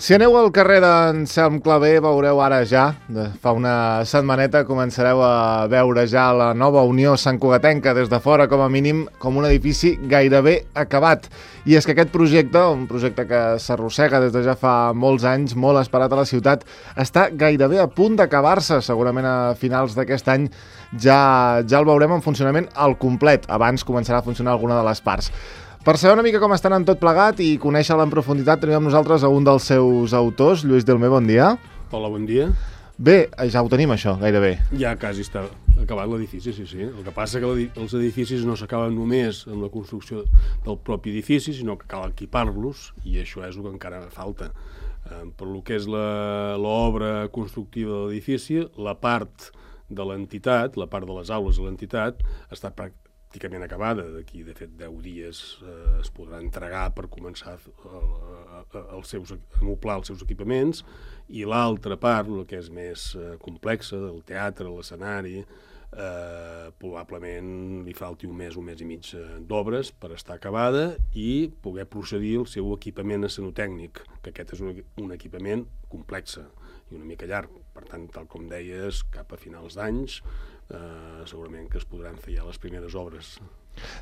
Si aneu al carrer d'Anselm Clavé veureu ara ja, fa una setmaneta començareu a veure ja la nova Unió Santcugatenca des de fora, com a mínim, com un edifici gairebé acabat. I és que aquest projecte, un projecte que s'arrossega des de ja fa molts anys, molt esperat a la ciutat, està gairebé a punt d'acabar-se. Segurament a finals d'aquest any ja el veurem en funcionament al complet. Abans començarà a funcionar alguna de les parts. Per saber una mica com estan en tot plegat i conèixer-la en profunditat, tenim amb nosaltres a un dels seus autors, Lluís Delmé, bon dia. Hola, bon dia. Bé, ja ho tenim això, gairebé. Ja quasi està acabat l'edifici, sí. El que passa que els edificis no s'acaben només amb la construcció del propi edifici, sinó que cal equipar-los, i això és el que encara falta. Per lo que és l'obra constructiva de l'edifici, la part de l'entitat, la part de les aules de l'entitat, està pràcticament acabada. D'aquí, de fet, 10 dies es podrà entregar per començar a amoblar els seus equipaments, i l'altra part, el que és més complexa, del teatre, l'escenari, probablement li falti un mes i mig d'obres per estar acabada i poder procedir al seu equipament escenotècnic, que aquest és un equipament complex i una mica llarg. Per tant, tal com deies, cap a finals d'anys segurament que es podran fer ja les primeres obres.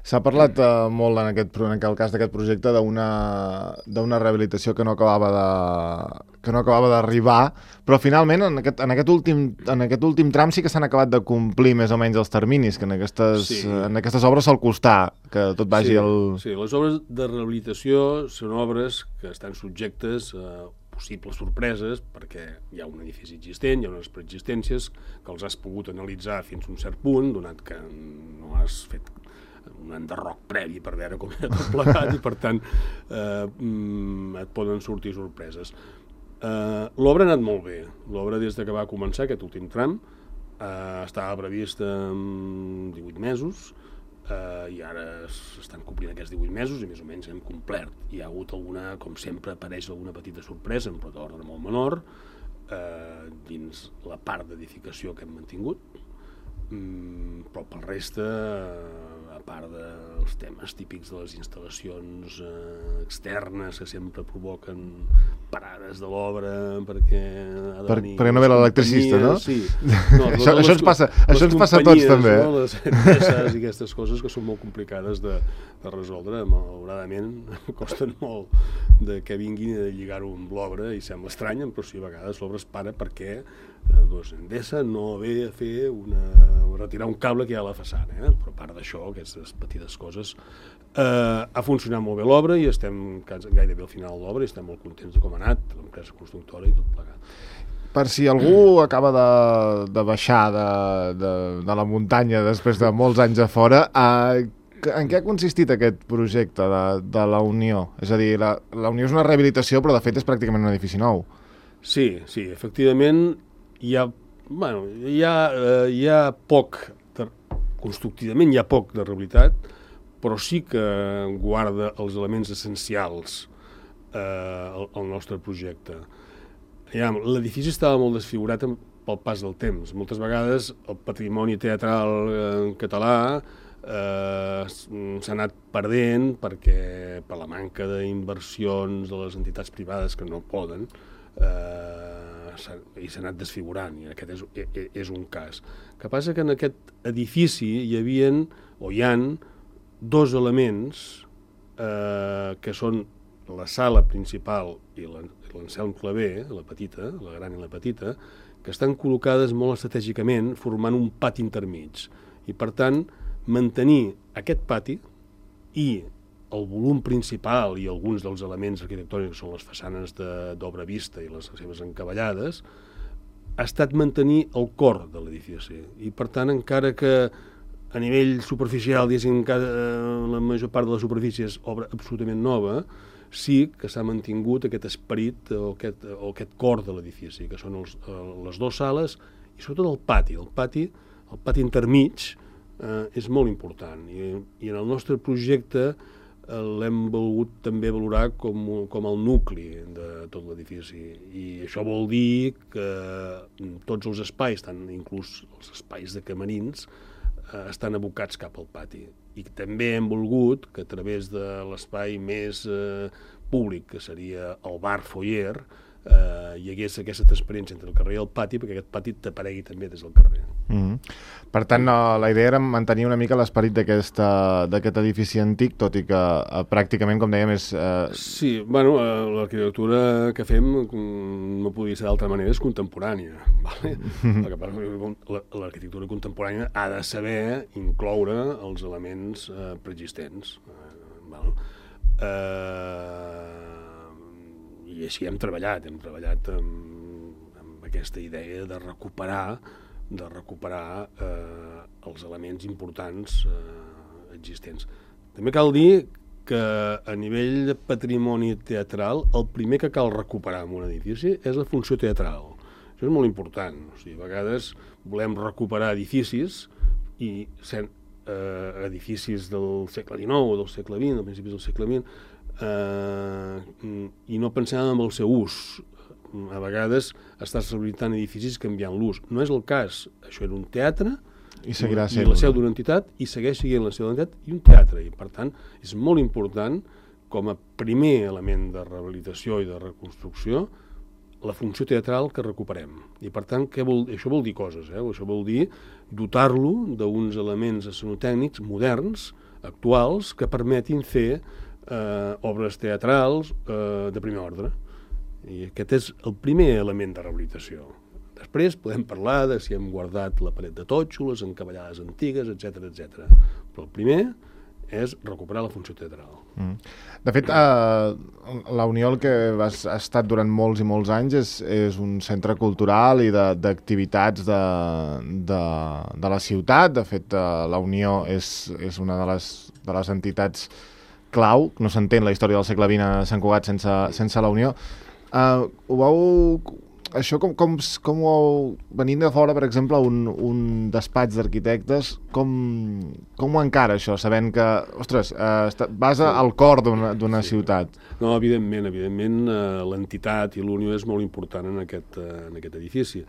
S'ha parlat molt en el cas d'aquest projecte d'una rehabilitació que no acabava d'arribar, però finalment en aquest últim tram sí que s'han acabat de complir més o menys els terminis, que en aquestes obres sol costar que tot vagi Sí, les obres de rehabilitació són obres que estan subjectes a possibles sorpreses, perquè hi ha un edifici existent, hi ha unes preexistències que els has pogut analitzar fins a un cert punt, donat que no has fet un enderroc previ per veure com era tot plegat, i per tant et poden sortir sorpreses. L'obra ha anat molt bé. L'obra, des que va començar aquest últim tram, estava prevista en 18 mesos, i ara s'estan complint aquests 18 mesos i més o menys hem complert. Hi ha hagut alguna, com sempre, apareix alguna petita sorpresa, però d'ordre molt menor, dins la part d'edificació que hem mantingut, però per resta, a part dels temes típics de les instal·lacions externes que sempre provoquen parades de l'obra perquè no ve l'electricista, no? Sí. Això ens passa a tots, també. Les empreses i aquestes coses que són molt complicades de resoldre, malauradament costen molt de que vinguin a lligar-ho amb l'obra, i sembla estrany, però sí, a vegades l'obra es para perquè Endesa no ve a fer retirar un cable que hi ha a la façana, però a part d'això, aquestes petites coses, ha funcionat molt bé l'obra i estem gairebé al final de l'obra i estem molt contents de com ha anat l'empresa constructora i tot plegat. Per si algú acaba de baixar de la muntanya després de molts anys a fora, en què ha consistit aquest projecte de la Unió? És a dir, la Unió és una rehabilitació, però de fet és pràcticament un edifici nou. Sí, efectivament, hi ha poc, constructivament hi ha poc de realitat, però sí que guarda els elements essencials al nostre projecte. L'edifici estava molt desfigurat pel pas del temps. Moltes vegades el patrimoni teatral català s'ha anat perdent per la manca d'inversions de les entitats privades que no poden, i s'ha anat desfigurant, i aquest és un cas. El que passa que en aquest edifici hi ha dos elements que són la sala principal i l'Anselm Clavé, la petita, la gran i la petita, que estan col·locades molt estratègicament formant un pati intermig, i per tant mantenir aquest pati i el volum principal i alguns dels elements arquitectònics, que són les façanes d'obra vista i les seves encavallades, ha estat mantenir el cor de l'edifici. I per tant, encara que a nivell superficial, la major part de la superfície és obra absolutament nova, sí que s'ha mantingut aquest esperit o aquest cor de l'edifici, que són les dues sales i sobretot el pati. El pati intermig és molt important, i en el nostre projecte l'hem volgut també valorar com el nucli de tot l'edifici, i això vol dir que tots els espais, tant inclús els espais de camerins, estan abocats cap al pati. I també hem volgut que a través de l'espai més públic, que seria el bar foyer, hi hagués aquesta transparència entre el carrer i el pati, perquè aquest pati t'aparegui també des del carrer. Per tant, la idea era mantenir una mica l'esperit d'aquest edifici antic, tot i que pràcticament, com dèiem, és... Sí, bueno, l'arquitectura que fem no podria ser d'altra manera, és contemporània. Vale? L'arquitectura contemporània ha de saber incloure els elements preexistents. I així hem treballat amb aquesta idea de recuperar els elements importants existents. També cal dir que a nivell de patrimoni teatral el primer que cal recuperar en un edifici és la funció teatral. Això és molt important. O sigui, a vegades volem recuperar edificis i edificis del segle XIX o del segle XX, del principis del segle XX, i no pensem en el seu ús. A vegades estàs rehabilitant edificis canviant l'ús. No és el cas. Això era un teatre i seguirà sent la seu d'una entitat i segueix sent la seu d'una entitat i un teatre. I, per tant, és molt important com a primer element de rehabilitació i de reconstrucció la funció teatral que recuperem. I, per tant, això vol dir coses. Això vol dir dotar-lo d'uns elements escenotècnics moderns, actuals, que permetin fer obres teatrals de primer ordre. I aquest és el primer element de rehabilitació. Després podem parlar de si hem guardat la paret de totxo, les encavallades antigues, etc etc. Però el primer és recuperar la funció teatral. De fet, la Unió, el que ha estat durant molts i molts anys, és un centre cultural i d'activitats de la ciutat. De fet, la Unió és una de les entitats clau. No s'entén la història del segle XX a Sant Cugat sense la Unió. Això com ho venint de fora, per exemple, un despatx d'arquitectes, com ho encara això, sabent que, ostres, vas al cor d'una ciutat? No, evidentment, l'entitat i l'Unió és molt important en aquest edifici.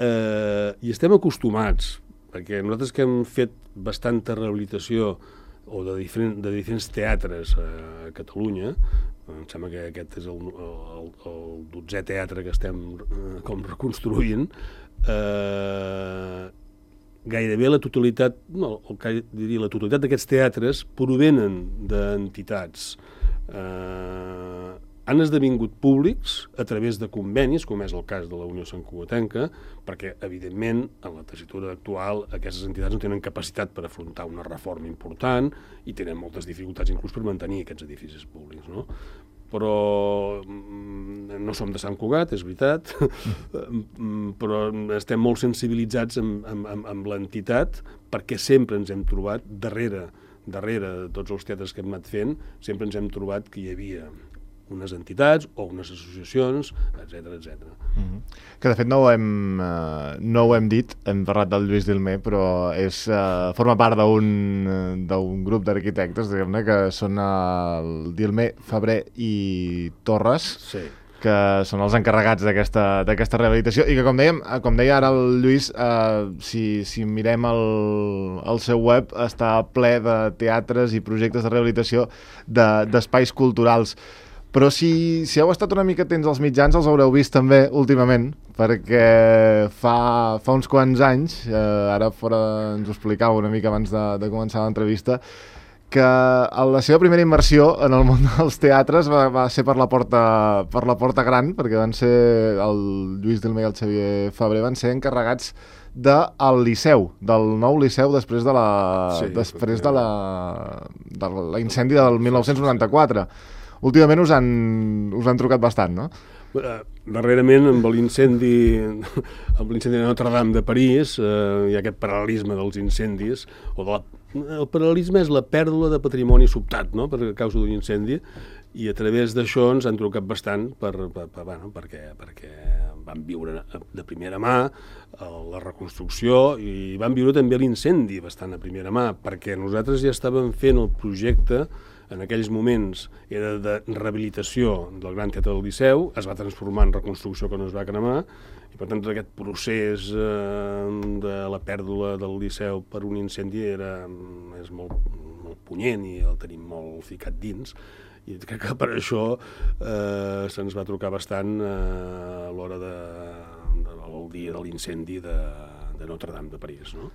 I estem acostumats, perquè nosaltres que hem fet bastanta rehabilitació o de diferents teatres a Catalunya, em sembla que aquest és el 12è teatre que estem com reconstruint, gairebé la totalitat, la totalitat d'aquests teatres provenen d'entitats. Han esdevingut públics a través de convenis, com és el cas de la Unió Santcugatenca, perquè, evidentment, en la tessitura actual aquestes entitats no tenen capacitat per afrontar una reforma important i tenen moltes dificultats inclús per mantenir aquests edificis públics, no? Però no som de Sant Cugat, és veritat, però estem molt sensibilitzats amb l'entitat perquè sempre ens hem trobat, darrere de tots els teatres que hem anat fent, sempre ens hem trobat que hi havia unes entitats o unes associacions, etc. Que de fet no ho hem dit, hem parlat del Lluís Dilmé, però forma part d'un grup d'arquitectes, diguem-ne, que són el Dilmé, Febrer i Torres, sí, que són els encarregats d'aquesta rehabilitació i que, com deia ara el Lluís, si mirem el seu web, està ple de teatres i projectes de rehabilitació d'espais culturals. Però si heu estat una mica atents als mitjans, els haureu vist també últimament, perquè fa uns quants anys, ara fora ens ho explicava una mica abans de començar l'entrevista, que la seva primera immersió en el món dels teatres va ser per la porta gran, perquè van ser el Lluís Dilmé i el Xavier Febrer van ser encarregats del Liceu, del nou Liceu després de l'incendi del 1994. Últimament us han trucat bastant, no? Darrerament, amb l'incendi de Notre Dame de París, hi ha aquest paral·lelisme dels incendis, el paral·lelisme és la pèrdua de patrimoni sobtat, no?, per causa d'un incendi, i a través d'això ens han trucat bastant perquè van viure de primera mà la reconstrucció i van viure també l'incendi bastant a primera mà, perquè nosaltres ja estàvem fent el projecte. En aquells moments era de rehabilitació del Gran Teatre del Liceu, es va transformar en reconstrucció que no es va cremar, i per tant tot aquest procés de la pèrdua del Liceu per un incendi és molt punyent i el tenim molt ficat dins, I crec que per això se'ns va trucar bastant a l'hora del dia de l'incendi de Notre-Dame de París, no?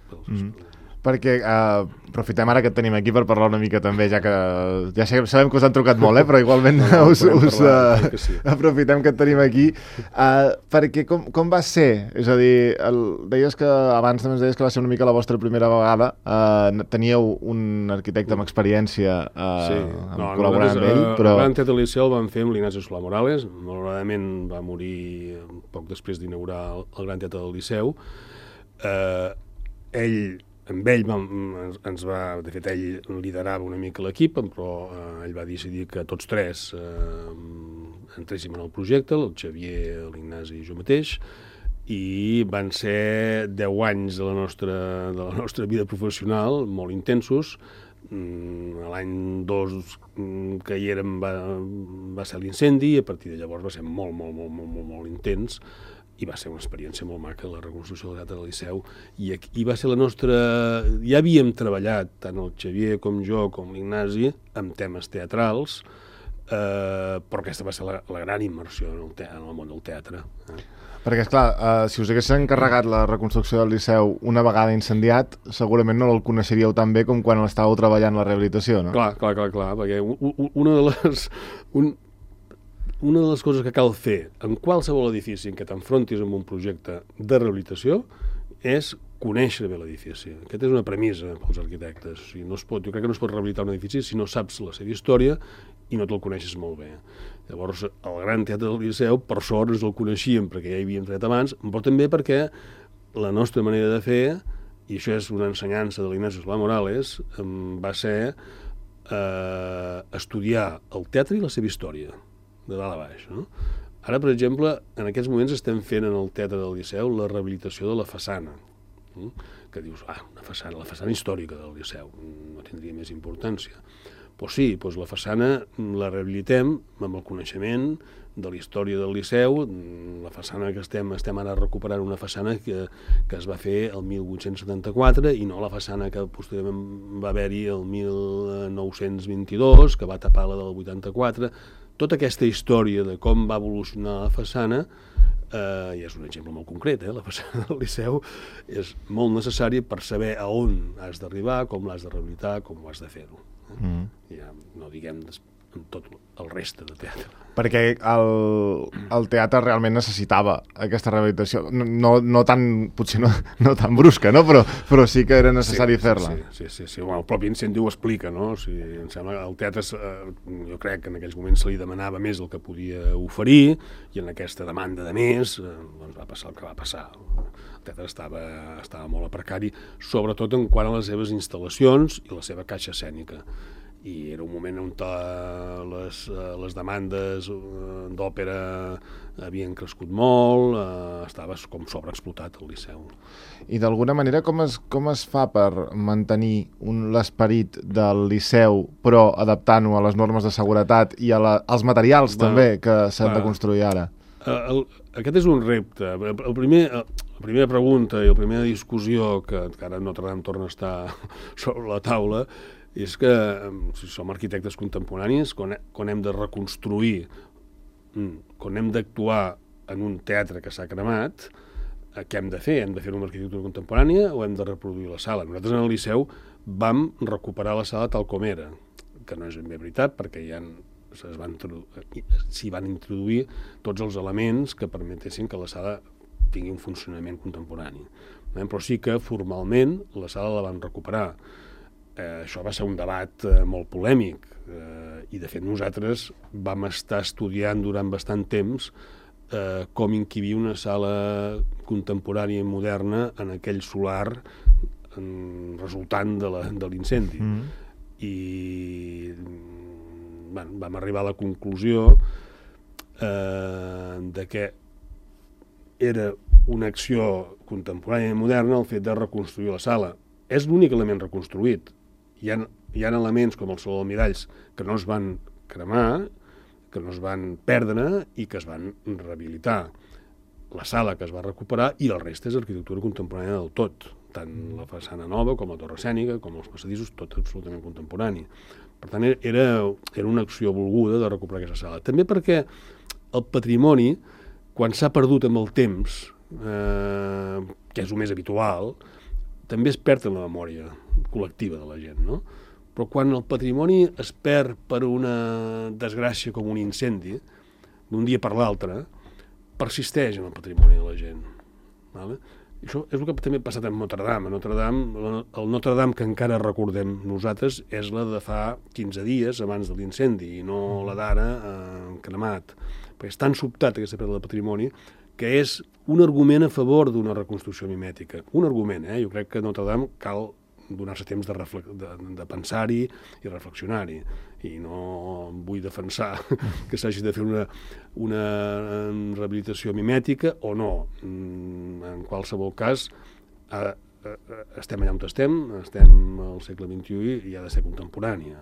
Perquè aprofitem ara que et tenim aquí per parlar una mica també, ja que ja sabem que us han trucat molt, però igualment aprofitem que et tenim aquí, perquè com va ser? És a dir, deies que abans també ens deies que va ser una mica la vostra primera vegada, teníeu un arquitecte amb experiència col·laborant amb ell, però... El Gran Teatre del Liceu el vam fer amb l'Ignacio Solà Morales, malauradament va morir poc després d'inaugurar el Gran Teatre del Liceu. Amb ell de fet ell liderava una mica l'equip, però ell va decidir que tots tres entréssim en el projecte, el Xavier, l'Ignasi i jo mateix, i van ser 10 anys de la nostra vida professional, molt intensos. L'any 2 que hi érem va ser l'incendi, i a partir de llavors va ser molt intens, i va ser una experiència molt maca, la reconstrucció del Teatre del Liceu, i va ser la nostra... Ja havíem treballat, tant el Xavier com jo, com l'Ignasi, amb temes teatrals, però aquesta va ser la gran immersió en el món del teatre. Perquè, esclar, si us hagués encarregat la reconstrucció del Liceu una vegada incendiat, segurament no el coneixeríeu tan bé com quan l'estàveu treballant la rehabilitació, no? Clar, perquè una de les coses que cal fer en qualsevol edifici en què t'enfrontis amb un projecte de rehabilitació és conèixer bé l'edifici. Aquesta és una premissa pels arquitectes. O sigui, jo crec que no es pot rehabilitar un edifici si no saps la seva història i no te'l coneixes molt bé. Llavors, el Gran Teatre del Liceu, per sort, ens el coneixíem perquè ja hi havíem treballat abans, però també perquè la nostra manera de fer, i això és una ensenyança de l'Ignacio Solà Morales, va ser estudiar el teatre i la seva història, de dalt a baix, no? Ara, per exemple, en aquests moments estem fent en el Teatre del Liceu la rehabilitació de la façana, que dius, la façana històrica del Liceu, no tindria més importància. Però sí, la façana la rehabilitem amb el coneixement de la història del Liceu. La façana que estem ara recuperant una façana que es va fer el 1874 i no la façana que posteriorment va haver-hi el 1922, que va tapar la del 84. Tota aquesta història de com va evolucionar la façana, i és un exemple molt concret, la façana del Liceu és molt necessària per saber a on has d'arribar, com l'has de rehabilitar, com ho has de fer-ho. Ja no diguem amb tot el reste de teatre. Perquè el teatre realment necessitava aquesta rehabilitació, no tan, potser no tan brusca, no? Però sí que era necessari fer-la. Sí. El propi incendi ho explica, no? O sigui, em sembla que el teatre, jo crec que en aquells moments se li demanava més del que podia oferir, i en aquesta demanda de més doncs va passar el que va passar. El teatre estava molt a precari, sobretot en quant a les seves instal·lacions i la seva caixa escènica. I era un moment on les demandes d'òpera havien crescut molt, estava com sobreexplotat el Liceu. I d'alguna manera com es fa per mantenir l'esperit del Liceu, però adaptant-ho a les normes de seguretat i als materials també que s'han de construir ara? Aquest és un repte. La primera pregunta i la primera discussió que ara Notre-Dame torna a estar sobre la taula és que, si som arquitectes contemporanis, quan hem de reconstruir, quan hem d'actuar en un teatre que s'ha cremat, què hem de fer? Hem de fer una arquitectura contemporània o hem de reproduir la sala? Nosaltres en el Liceu vam recuperar la sala tal com era, que no és ben bé veritat, perquè s'hi van introduir tots els elements que permetessin que la sala tingui un funcionament contemporani. Però sí que formalment la sala la van recuperar. Això va ser un debat molt polèmic i de fet nosaltres vam estar estudiant durant bastant temps com encabir una sala contemporània i moderna en aquell solar resultant de l'incendi. I vam arribar a la conclusió de que era una acció contemporània i moderna el fet de reconstruir la sala. És l'únic element reconstruït. Hi ha elements com el Saló dels Miralls que no es van cremar, que no es van perdre i que es van rehabilitar. La sala que es va recuperar i el reste és arquitectura contemporània del tot. tant la façana nova com la torre escènica, com els passadissos, tot absolutament contemporani. Per tant, era una acció volguda de recuperar aquesta sala. També perquè el patrimoni, quan s'ha perdut amb el temps, que és el més habitual, també es perd en la memòria col·lectiva de la gent, no? Però quan el patrimoni es perd per una desgràcia com un incendi, d'un dia per l'altre, persisteix en el patrimoni de la gent. Vale? Això és el que també ha passat amb Notre Dame. El Notre Dame que encara recordem nosaltres és la de fa 15 dies abans de l'incendi i no la d'ara cremat. Perquè és tan sobtat aquesta pèrdua de patrimoni que és un argument a favor d'una reconstrucció mimètica. Un argument, Jo crec que Notre Dame cal donar-se temps de pensar-hi i reflexionar-hi. I no vull defensar que s'hagi de fer una rehabilitació mimètica o no. En qualsevol cas, estem allà on estem al segle XXI i ha de ser contemporània.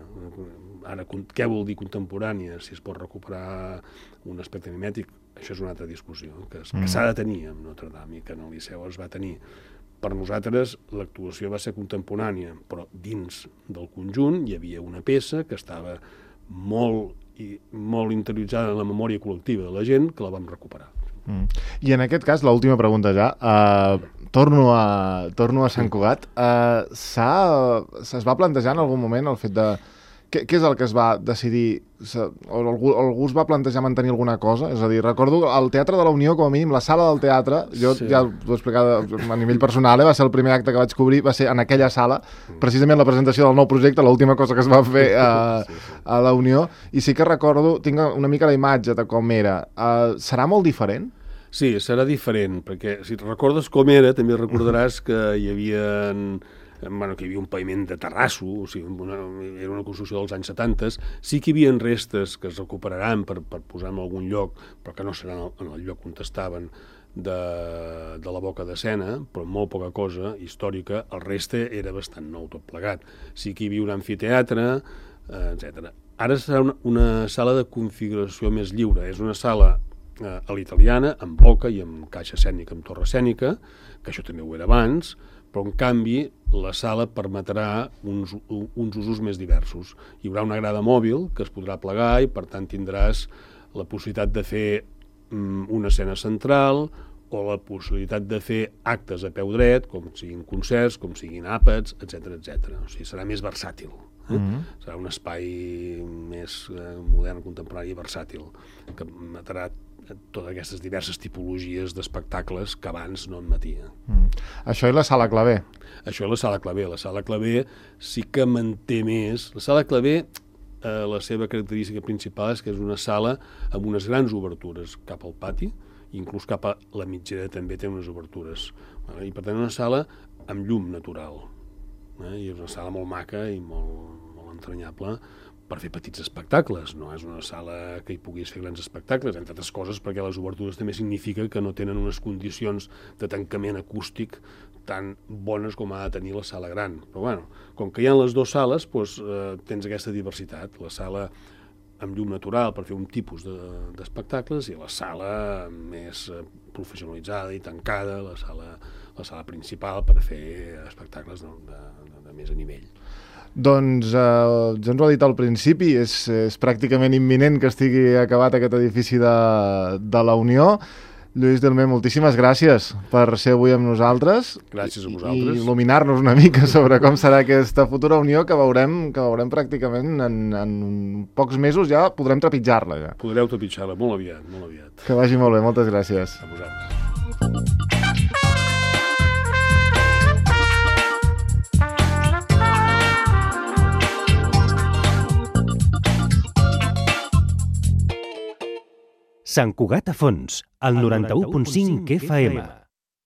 Ara, què vol dir contemporània? Si es pot recuperar un aspecte mimètic, això és una altra discussió que s'ha de tenir amb Notre Dame i que en el Liceu es va tenir. Per nosaltres l'actuació va ser contemporània, però dins del conjunt hi havia una peça que estava molt interioritzada en la memòria col·lectiva de la gent, que la vam recuperar. I en aquest cas, l'última pregunta ja, torno a Sant Cugat. Es va plantejar en algun moment el fet de... Què és el que es va decidir? O algú es va plantejar mantenir alguna cosa? És a dir, recordo el Teatre de la Unió, com a mínim, la sala del teatre, jo ja t'ho he explicat a nivell personal, va ser el primer acte que vaig cobrir, va ser en aquella sala, precisament la presentació del nou projecte, l'última cosa que es va fer a la Unió, i sí que recordo, tinc una mica la imatge de com era. Serà molt diferent? Sí, serà diferent, perquè si recordes com era, també recordaràs que hi havia un paviment de terrasso, o sigui, era una construcció dels anys 70, sí que hi havia restes que es recuperaran per posar en algun lloc, però que no seran en el lloc on estaven de la boca d'escena, però molt poca cosa històrica, el reste era bastant nou tot plegat. Sí que hi havia un amfiteatre, etc. Ara serà una sala de configuració més lliure, és una sala a l'italiana, amb boca i amb caixa escènica, amb torre escènica, que això també ho era abans, però en canvi la sala permetrà uns usos més diversos. Hi haurà una grada mòbil que es podrà plegar i per tant tindràs la possibilitat de fer una escena central o la possibilitat de fer actes a peu dret, com siguin concerts, com siguin àpats, etc. O sigui, serà més versàtil. Serà un espai més modern, contemporani i versàtil, que permetrà totes aquestes diverses tipologies d'espectacles que abans no admetia. Això i la Sala Clavé. Això i la Sala Clavé. La Sala Clavé sí que manté més. La Sala Clavé, la seva característica principal és que és una sala amb unes grans obertures cap al pati, inclús cap a la mitgera també té unes obertures. I per tant una sala amb llum natural. I és una sala molt maca i molt entranyable per fer petits espectacles. No és una sala que hi puguis fer grans espectacles, entre altres coses perquè les obertures també significa que no tenen unes condicions de tancament acústic tan bones com ha de tenir la sala gran. Però bueno, com que hi ha les dues sales, doncs, tens aquesta diversitat. La sala amb llum natural per fer un tipus d'espectacles i la sala més professionalitzada i tancada, la sala principal per fer espectacles de més a nivell. Doncs ja ens ho ha dit al principi, és pràcticament imminent que estigui acabat aquest edifici de la Unió. Lluís Delmer, moltíssimes gràcies per ser avui amb nosaltres. Gràcies a vosaltres. I il·luminar-nos una mica sobre com serà aquesta futura Unió que veurem pràcticament en pocs mesos ja podrem trepitjar-la. Ja. Podreu trepitjar-la molt aviat, molt aviat. Que vagi molt bé, moltes gràcies. A vosaltres. Sant Cugat a Fons, al 91.5 FM.